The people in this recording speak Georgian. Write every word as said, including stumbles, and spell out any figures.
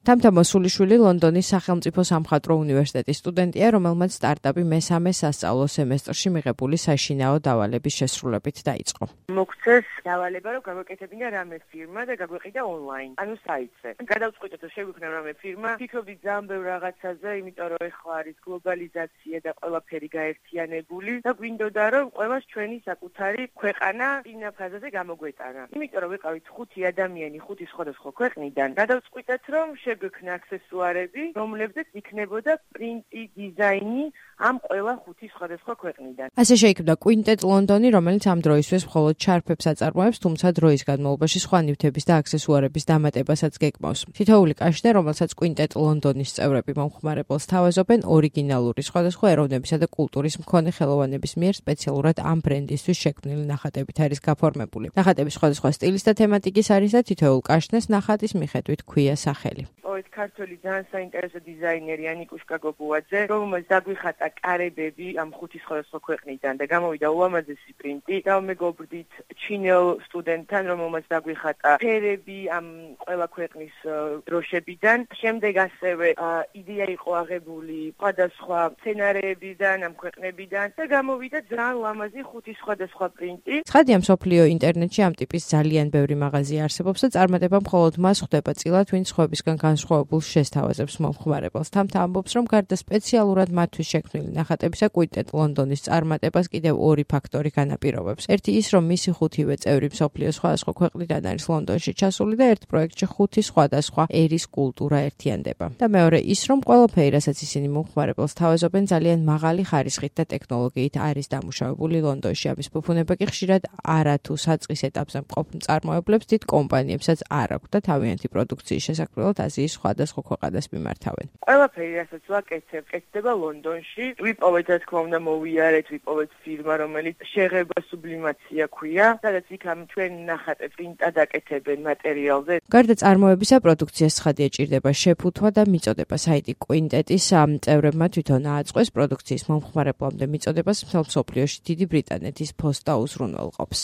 თამთა მოსულიშვილი ლონდონის სახელმწიფო სამხატვრო უნივერსიტეტის სტუდენტია, რომელმაც სტარტაპი მესამე სასწავლო სემესტრში მიღებული საშინაო დავალების შესრულებით დაიწყო. მოგცეს დავალება, რომ გაგვეკეთებინა რამე ფირმა და გაგვეყიდა ონლაინ, ანუ საიტზე. გადავწყვიტეთ, რომ შეგვიქმნა რამე ფირმა, ფიქრობდით ძალიან ბევრ რაღაცაზე, იმიტომ რომ ეხლა არის გლობალიზაცია და ყველაფერი გაერთიანებული და გვინდოდა, რომ ყველას ჩვენი საკუთარი ქვეყანა წინა ფაზაზე გამოგვეტანა. იმიტომ რომ ვიყავით ხუთი ადამიანი ხუთი სხვადასხვა ქვეყნიდან, გადავწყვიტეთ, რომ შეგვექმნა აქსესუარები, რომლებზეც იქნებოდა პრინტი, დიზაინი ამ ყველა ხუთი სხვადასხვა ქვეყნიდან. ასე შეიქმნა Quintet London-ი, რომელიც ამ დროისთვის მხოლოდ ჩარფებს აწარმოებს, თუმცა დროის განმავლობაში სხვა ნივთების და აქსესუარების დამატებასაც გეკმავს. თითოეული კაშნე, რომელსაც Quintet London-ის წევრები მომხმარებელს თავაზობენ, ორიგინალური სხვადასხვა ეროვნებისა და კულტურის მქონე ხელოვანების მიერ სპეციალურად ამ ბრენდისთვის შექმნილი ნახატებით არის გაფორმებული. ნახატები სხვადასხვა სტილის და თემატიკის არის და თითოეულ კაშნეს ნახატის მიხედვით ჰქვია სახელი. ოეთ ქართველი ძალიან საინტერესო დიზაინერი ანიკუშკა გოგუაძე, რომელმაც დაგვიხატა კარებები ამ ხუთი სხვადასხვა ქვეყნიდან და გამოვიდა ულამაზესი პრინტი. და მეგობრდით ჩინელ სტუდენტთან, რომელმაც დაგვიხატა ფერები ამ ყველა ქვეყნის დროშებიდან. შემდეგ ასევე იდეა იყო აღებული სხვადასხვა სცენარეებიდან, ამ ქვეყნებიდან და გამოვიდა ძალიან ლამაზი ხუთი სხვადასხვა პრინტი. ცხადია, მსოფლიო ინტერნეტში ამ ტიპის ძალიან ბევრი მაღაზია არსებობს და წარმატება მხოლოდ მას ხვდება წილად, ვინც სხვებისგან განსხვავებულს შესთავაზებს მომხმარებელს. თამთა ამბობს, რომ გარდა სპეციალურად მათთვის შექმნილი ნახატებისა, Quintet London-ის წარმატებას კიდევ ორი ფაქტორი განაპირობებს. ერთი ის, რომ მისი ხუთივე წევრი მსოფლიოს სხვადასხვა ქვეყნიდან არის ლონდონში ჩასული და ერთ პროექტში ხუთი სხვადასხვა ერის კულტურა ერთიანდება. და მეორე ის, რომ ყველაფერი, რასაც ისინი მომხმარებელს თავაზობენ, ძალიან მაღალი ხარისხით და ტექნოლოგიით არის დამუშავებული ლონდონში. ამის ფუფუნება კი ხშირად არა თუ საწყის ეტაპზე მყოფ მწარმოებლებს, დიდ კომპანიებსაც არ აქვს და თავიანთი პროდუქციის შესაქმნელად აზიის სხვადასხვა ქვეყანას მიმართავენ. ყველაფერი, რასაც ვაკეთებ, კეთდება ლონდონში. ვიპოვეთ, რა თქმა უნდა, მოვიარეთ, ვიპოვეთ ფირმა, რომელიც შეღება სუბლიმაცია ქვია, სადაც იქამ ჩვენ ნახატებს პრინტად აკეთებენ მატერიალზე. გარდა წარმოებისა, პროდუქციას ცხადია ჭირდება შეფუთვა და მიწოდება. საიტი Quintet-ის წევრებმა თვითონ ააწყვეს პროდუქციის მომხმარებლამდე მიწოდებას მთელ მსოფლიოში დიდი ბრიტანეთის ფოსტა უზრუნველყოფს.